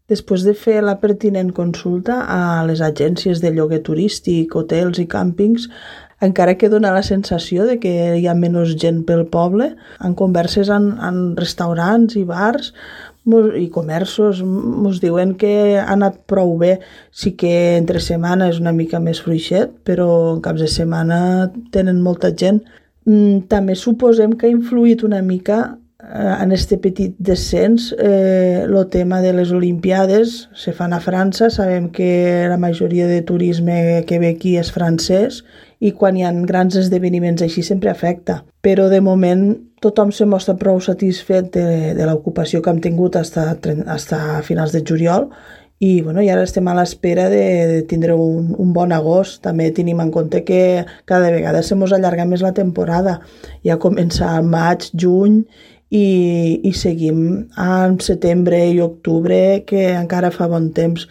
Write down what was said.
Després de fer la pertinent consulta a les agències de lloguer turístic, hotels i càmpings, encara que dona la sensació de que hi ha menys gent pel poble, en converses en restaurants i bars i comerços ens diuen que ha anat prou bé. Sí que entre setmana és una mica més fluixet, però en caps de setmana tenen molta gent. També suposem que ha influït una mica en este petit descens el tema de les Olimpiades. Se fan a França, sabem que la majoria de turisme que ve aquí és francès i quan hi ha grans esdeveniments així sempre afecta. Però de moment tothom se mostra prou satisfet de l'ocupació que hem tingut fins a finals de juliol i ara estem a l'espera de tindre un bon agost. També tenim en compte que cada vegada se mos allarga més la temporada. Ja comença al maig, juny i seguim en setembre i octubre, que encara fa bon temps.